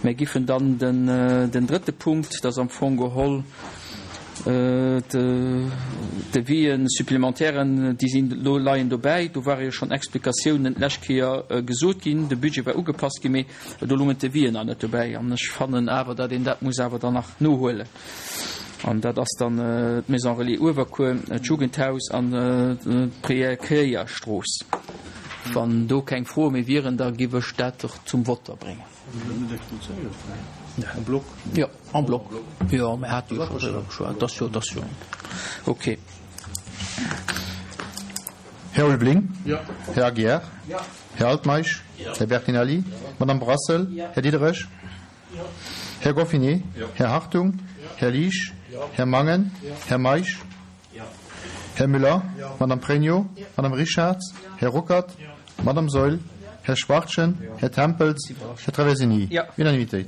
Mär giffen dann den, den drëtte Punkt, dat ass am Fong geholl d'Devis'en supplémentairen, déi sinn elo, leien dobäi. Do ware jo schonn Explikatiounen d'lescht Kéier gesot ginn. De Budget war ugepasst ginn, mee do lungen d'Devis'en nach net dobäi. An ech fannen awer, datt een dat muss awer dann nach nohuelen. An dat ass dann d'Maison Relais Uewerkuer, d'Jugendhaus an d'Preekéierstrooss. Wann do keng Froe méi wieren, da giff ech dat och zum Vote bréngen. En bloc? Jo, en bloc. Jo, mir hate jo scho driwwer geschwat. Dat ass jo, dat ass jo okay. Här Ulveling? Här Aguiar? Här Altmeisch? Här Bertinelli? Madame Brassel? Här Diderich? Här Goffinet? Här Hartung? Här Liesch? Här Mangen? Här Meisch? Här Müller? Madame Pregno? Madame Richarz? Här Ruckert? Madame Saeul? Här Schwachtgen? Här Tempels? Här Traversini? Unanimitéit.